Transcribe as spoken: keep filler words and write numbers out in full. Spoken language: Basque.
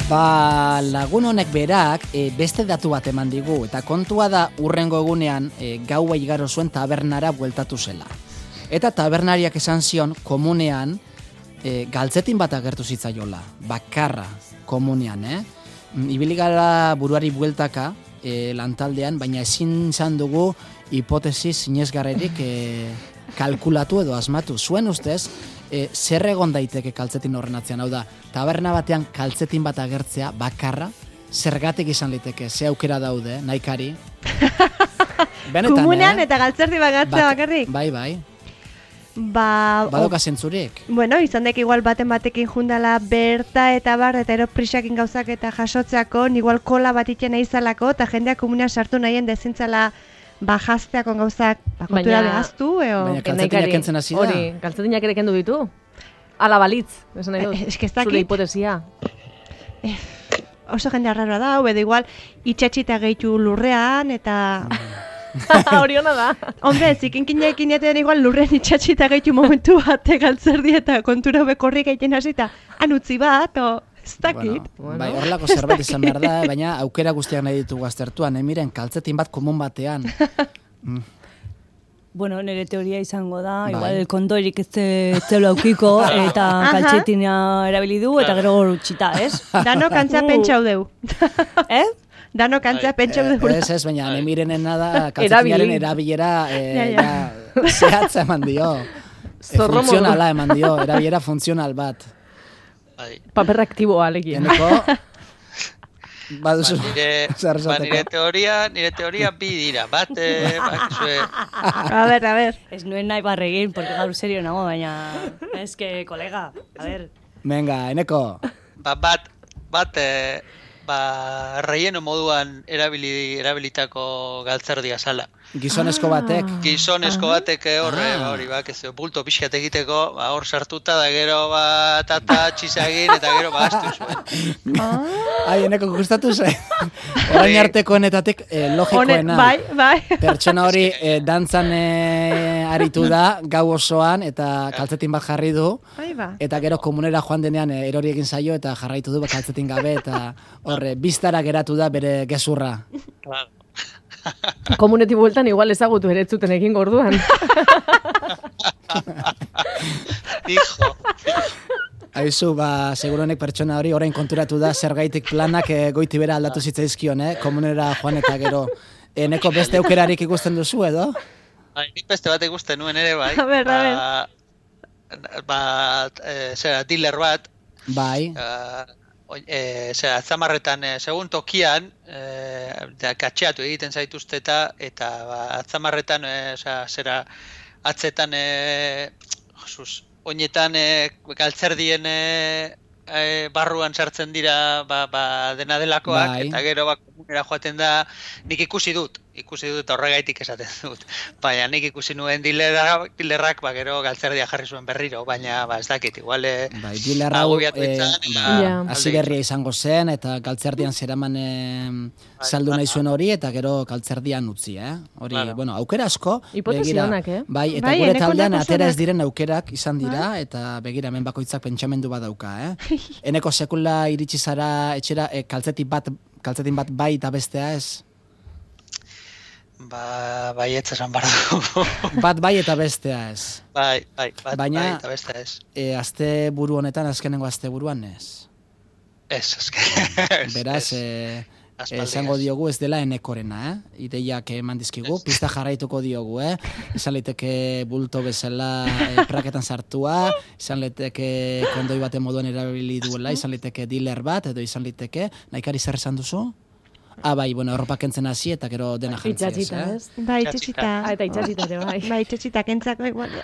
Ba, lagun honek berak e, beste datu bat eman digu, eta kontua da urrengo egunean e, gaua igaro zuen tabernara bueltatu zela. Eta tabernariak esan zion komunean e, galtzetin bat agertu zitzaiola, bakarra komunean, eh? Ibili gara buruari bueltaka e, lantaldean, baina ezin izan dugu hipotesi sinesgarrerik e, kalkulatu edo asmatu. Zuen ustez, e, zer egon daiteke kaltzetin horren atzean, hau da, taberna batean kaltzetin bat agertzea bakarra, zergatik izan liteke, ze aukera daude, nahikari. Benetan, komunean eh? Eta galtzerdi bakartzea bakarrik? Bai, bai. Ba, Badoka zentzurik. Bueno, izan dek igual baten batekin jundala berta eta bar, eta ero prisakin gauzak eta jasotzeako, igual kola bat itxena izalako, eta jendeak komunean sartu nahien dezintzala bajazteako gauzak, bakotura behaztu, eo... Baina kaltzetinak kentzen hasi da. Hori, kaltzetinak ere kendu ditu. Ala balitz, esan nahi dut. Es que ez dakit. Zure hipotesia. Eh, oso jende arraroa da, edo igual itxatxita gehitu lurrean, eta... Hori hona da. Hombre, zikinkinekin eten igual lurrean itxatxita gehitu momentu bat galtzerdi eta kontura bekorri gehiten hasita han utzi bat, o... Ez dakit. Bueno, bai, horrelako zerbait izan behar da, baina aukera guztiak nahi ditugu aztertuan, emiren, kaltzetin bat komun batean. Mm. Bueno, nire teoria izango da, Bai. igual kondorik ez zeula aukiko, eta kaltzetina erabili du, eta gero utxita, ez? Dano kantzea pentsau deu. Eh? Dano kantzea pentsau deu. Ez, ez, baina nemirenena da kaltzetinaren erabilera eh, ja, zehatza eman dio. E, funtzionala eman dio, erabilera funtzional bat. Paper aktiboa alegia. Eneko, baduzu. Ba, nire, ba, nire teoria, nire teoria bi dira. Bat, eh, bakizue... A ver, a ver. Ez nuen nahi barregin, porque gaur serio nago, baina... Ez que, kolega, a ver. Venga, Eneko. Ba, bat, bat, eh, ba, relleno moduan erabili, erabilitako galtzerdia zala. Gizonezko batek. Gizonezko batek horre, ah. hori, bak, ez bulto pixkat egiteko, ba, hor sartuta da gero, ba, tata, txizagin, eta gero, ba, astu zuen. Ai, Eneko gustatu ze. Orain arteko honetatik eh, logikoena. Bai, bai. Pertsona hori eh, dantzan eh, aritu da, gau osoan, eta kaltzetin bat jarri du. Bai, ba. Eta gero komunera joan denean eh, erori egin zaio, eta jarraitu du kaltzetin gabe, eta horre, biztara geratu da bere gezurra. Claro. Komuneti bueltan igual ezagutu ere zuten egin gorduan. Hijo. Aizu, ba, seguronek pertsona hori orain konturatu da zergaitik planak e, goiti bera aldatu zitzaizkion, eh? Komunera joan eta gero. Eneko beste aukerarik ikusten duzu edo? Ba, nik beste bat ikusten nuen ere, bai. A ber, a ber. Ba, ba e, zera, dealer bat. Bai. Uh, E, zera, atzamarretan, e, segun tokian, e, da, katxeatu egiten zaituzteta, eta ba, atzamarretan, e, zera, zera, atzetan, e, josuz, oinetan, e, galtzerdien e, e, barruan sartzen dira, ba, ba, dena delakoak, bai. Eta gero, ba, komunera joaten da, nik ikusi dut, ikusi dut horregaitik esaten dut. Baina nik ikusi nuen dilerrak, dilerrak ba, gero galtzerdia jarri zuen berriro, baina ba, ez dakit, igual... Bai, dilerra hau, e, ba, yeah. hasi berria izango zen, eta galtzerdian zeraman e, saldu nahi zuen hori, eta gero galtzerdian utzi, eh? Hori, Claro. bueno, aukera asko, Hipotesi honak, eh? Bai, eta Bai, gure Eneko taldean nahiko atera ez zonak. diren aukerak izan dira, eta begira, hemen bakoitzak pentsamendu bat dauka, eh? Eneko sekula iritsi zara etxera e, kaltzetin bat, kaltzetin bat bai eta bestea ez? Ba, bai, ez esan barra dugu. Bat bai eta bestea ez. Bai, bai, bat, Baina, bai, eta beste ez. E, azte buru honetan, azkenengo azte buruan ez. Ez, ez. Beraz, e, esango diogu ez dela Enekorena, eh? Ideiak eman dizkigu, pista jarraituko diogu, eh? Izan liteke bulto bezala e, praketan sartua, izan liteke kondoi baten moduan erabili duela, izan liteke dealer bat, edo izan liteke, nahikari zer esan duzu? Ah, bai, bueno, erropak kentzen hasi eta gero dena jantziaz, Itxatxita, eh? ez? Bai, itxatxita. Ah, eta itxatxita ere, bai. Bai, itxatxita kentzako igual.